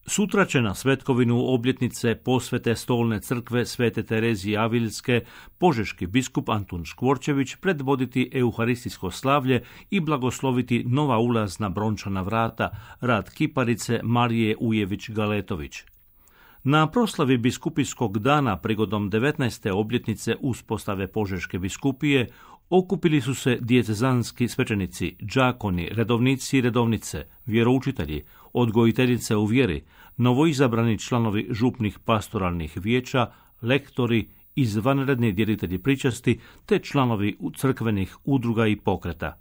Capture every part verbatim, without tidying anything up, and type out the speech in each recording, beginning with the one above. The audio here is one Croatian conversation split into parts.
Sutra će na svetkovinu obljetnice posvete stolne crkve Svete Terezije Avilske požeški biskup Antun Škvorčević predvoditi euharistijsko slavlje i blagosloviti nova ulazna brončana vrata, rad kiparice Marije Ujević-Galetović. Na proslavi biskupijskog dana prigodom devetnaeste obljetnice uspostave Požeške biskupije okupili su se dijecezanski svećenici, đakoni, redovnici i redovnice, vjeroučitelji, odgojiteljice u vjeri, novoizabrani članovi župnih pastoralnih vijeća, lektori, izvanredni djelitelji pričasti te članovi crkvenih udruga i pokreta.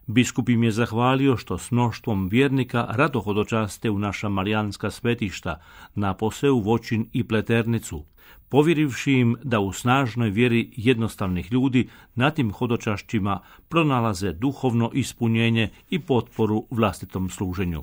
Biskup im je zahvalio što s mnoštvom vjernika rado hodočaste u naša marijanska svetišta, napose u Voćin i Pleternicu, povjerivši im da u snažnoj vjeri jednostavnih ljudi na tim hodočašćima pronalaze duhovno ispunjenje i potporu vlastitom služenju.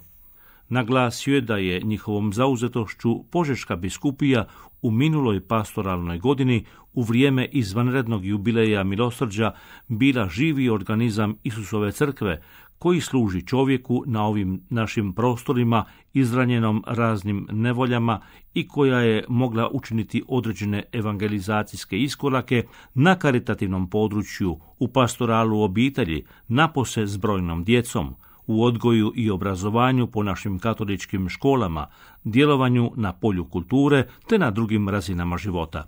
Naglasio je da je njihovom zauzetošću Požeška biskupija u minuloj pastoralnoj godini u vrijeme izvanrednog jubileja milosrđa bila živi organizam Isusove crkve koji služi čovjeku na ovim našim prostorima izranjenom raznim nevoljama i koja je mogla učiniti određene evangelizacijske iskorake na karitativnom području, u pastoralu obitelji, napose s brojnom djecom, u odgoju i obrazovanju po našim katoličkim školama, djelovanju na polju kulture te na drugim razinama života.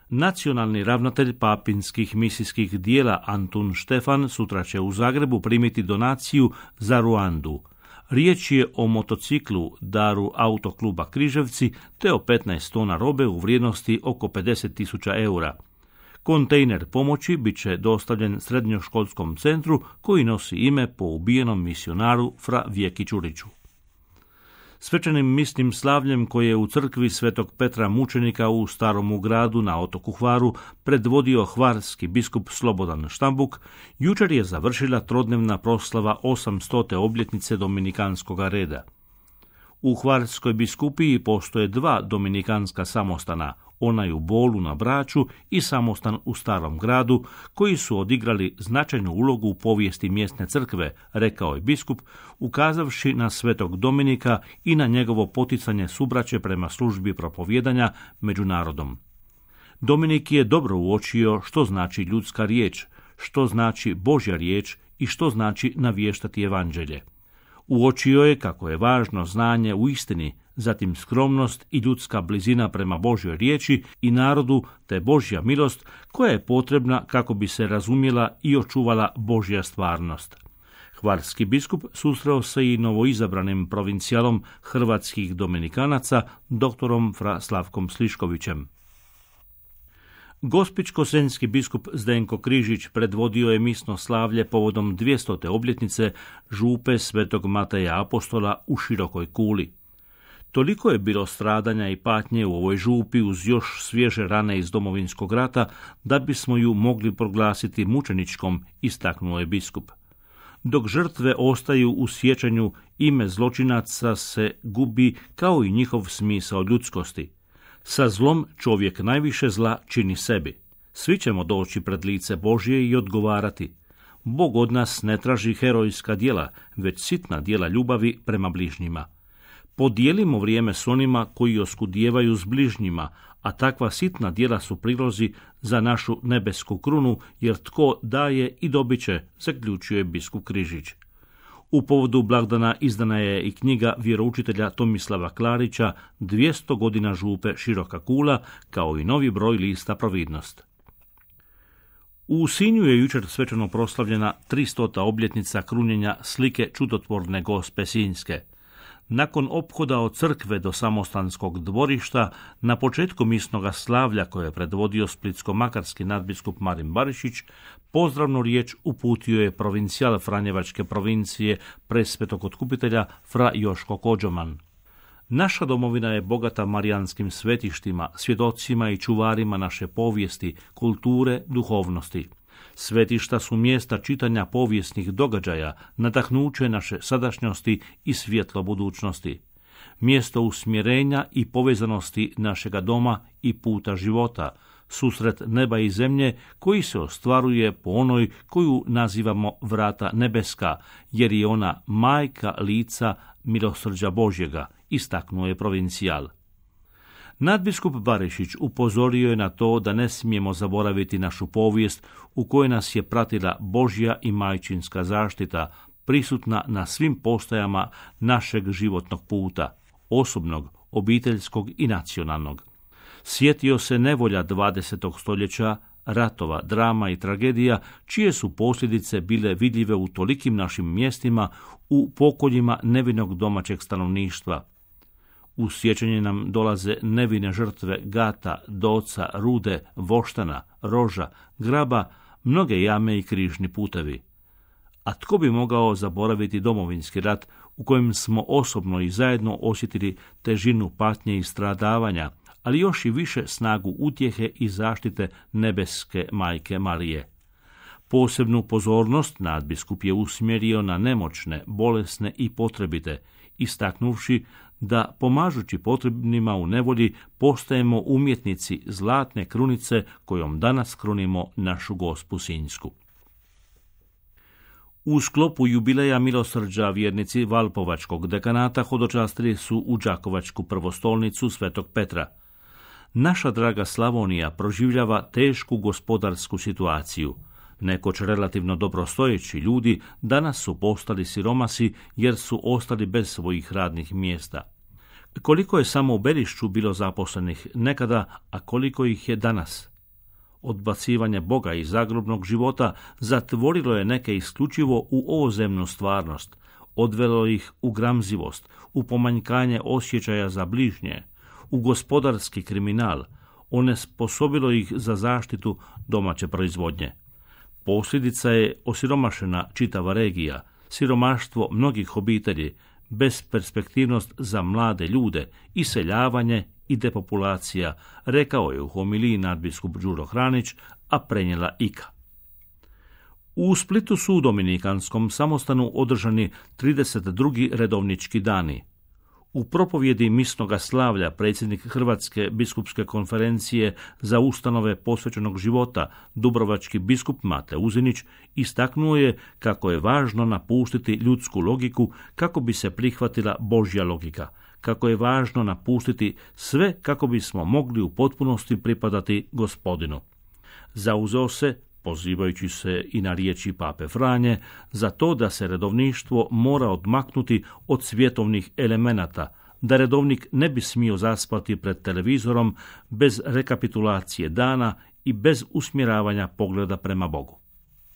Nacionalni ravnatelj papinskih misijskih dijela Antun Štefan sutra će u Zagrebu primiti donaciju za Ruandu. Riječ je o motociklu daru autokluba Križevci te o petnaest tona robe u vrijednosti oko pedeset tisuća eura. Kontejner pomoći bit će dostavljen srednjoškolskom centru koji nosi ime po ubijenom misionaru Fra Vjeki Čuriću. Svečanim misnim slavljem koje je u crkvi Svetog Petra Mučenika u Staromu gradu na otoku Hvaru predvodio hvarski biskup Slobodan Štambuk, jučer je završila trodnevna proslava osamstote obljetnice dominikanskog reda. U Hvarskoj biskupiji postoje dva dominikanska samostana, onaj u Bolu na Braču i samostan u Starom gradu, koji su odigrali značajnu ulogu u povijesti mjesne crkve, rekao je biskup, ukazavši na Svetog Dominika i na njegovo poticanje subraće prema službi propovijedanja među narodom. Dominik je dobro uočio što znači ljudska riječ, što znači Božja riječ i što znači navještati evanđelje. Uočio je kako je važno znanje u istini, zatim skromnost i ljudska blizina prema Božjoj riječi i narodu, te Božja milost koja je potrebna kako bi se razumjela i očuvala Božja stvarnost. Hvarski biskup susreo se i novoizabranim provincijalom hrvatskih dominikanaca, doktorom Fra Slavkom Sliškovićem. Gospićko-senjski biskup Zdenko Križić predvodio je misno slavlje povodom dvjestote obljetnice župe Svetog Mateja Apostola u Širokoj Kuli. Toliko je bilo stradanja i patnje u ovoj župi uz još svježe rane iz Domovinskog rata da bismo ju mogli proglasiti mučeničkom, istaknuo je biskup. Dok žrtve ostaju u sjećanju, ime zločinaca se gubi kao i njihov smisao ljudskosti. Sa zlom čovjek najviše zla čini sebi. Svi ćemo doći pred lice Božje i odgovarati. Bog od nas ne traži herojska djela, već sitna djela ljubavi prema bližnjima. Podijelimo vrijeme s onima koji oskudijevaju s bližnjima, a takva sitna djela su prilozi za našu nebesku krunu, jer tko daje i dobit će, zaključuje biskup Križić. U povodu blagdana izdana je i knjiga vjeroučitelja Tomislava Klarića dvjesto godina župe Široka Kula, kao i novi broj lista Providnost. U Sinju je jučer svečano proslavljena tristota obljetnica krunjenja slike čudotvorne Gospe Sinjske. Nakon ophoda od crkve do samostanskog dvorišta, na početku misnoga slavlja koje je predvodio splitsko-makarski nadbiskup Marin Barišić, pozdravnu riječ uputio je provincijal Franjevačke provincije presvetog otkupitelja Fra Joško Kođoman. Naša domovina je bogata marijanskim svetištima, svjedocima i čuvarima naše povijesti, kulture, duhovnosti. Svetišta su mjesta čitanja povijesnih događaja, nadahnuće naše sadašnjosti i svjetlo budućnosti. Mjesto usmjerenja i povezanosti našega doma i puta života, susret neba i zemlje koji se ostvaruje po onoj koju nazivamo vrata nebeska, jer je ona majka lica milosrđa Božjega, istaknuo je provincijal. Nadbiskup Barišić upozorio je na to da ne smijemo zaboraviti našu povijest u kojoj nas je pratila Božja i majčinska zaštita, prisutna na svim postajama našeg životnog puta, osobnog, obiteljskog i nacionalnog. Sjetio se nevolja dvadesetog stoljeća, ratova, drama i tragedija, čije su posljedice bile vidljive u tolikim našim mjestima, u pokoljima nevinog domaćeg stanovništva. U sjećanje nam dolaze nevine žrtve Gata, Doca, Rude, Voštana, Roža, Graba, mnoge jame i križni putevi. A tko bi mogao zaboraviti Domovinski rat u kojem smo osobno i zajedno osjetili težinu patnje i stradavanja, ali još i više snagu utjehe i zaštite nebeske majke Marije. Posebnu pozornost nadbiskup je usmjerio na nemoćne, bolesne i potrebite, istaknuvši da pomažući potrebnima u nevolji postajemo umjetnici zlatne krunice kojom danas krunimo našu Gospu Sinjsku. U sklopu jubileja milosrđa vjernici Valpovačkog dekanata hodočastili su u Đakovačku prvostolnicu Svetog Petra. Naša draga Slavonija proživljava tešku gospodarsku situaciju. Nekoć relativno dobrostojeći ljudi danas su postali siromasi jer su ostali bez svojih radnih mjesta. Koliko je samo u Belišću bilo zaposlenih nekada, a koliko ih je danas? Odbacivanje Boga iz zagrobnog života zatvorilo je neke isključivo u ovozemnu stvarnost, odvelo ih u gramzivost, u pomanjkanje osjećaja za bližnje, u gospodarski kriminal, onesposobilo ih za zaštitu domaće proizvodnje. Posljedica je osiromašena čitava regija, siromaštvo mnogih obitelji, besperspektivnost za mlade ljude, iseljavanje i depopulacija, rekao je u homiliji nadbiskup Đuro Hranić, a prenijela Ika. U Splitu su u Dominikanskom samostanu održani trideset drugi redovnički dani. U propovjedi misnoga slavlja predsjednik Hrvatske biskupske konferencije za ustanove posvećenog života, dubrovački biskup Mate Uzinić, istaknuo je kako je važno napustiti ljudsku logiku kako bi se prihvatila Božja logika, kako je važno napustiti sve kako bismo mogli u potpunosti pripadati Gospodinu. Zauzeo se, pozivajući se i na riječi pape Franje, za to da se redovništvo mora odmaknuti od svjetovnih elemenata, da redovnik ne bi smio zaspati pred televizorom bez rekapitulacije dana i bez usmjeravanja pogleda prema Bogu.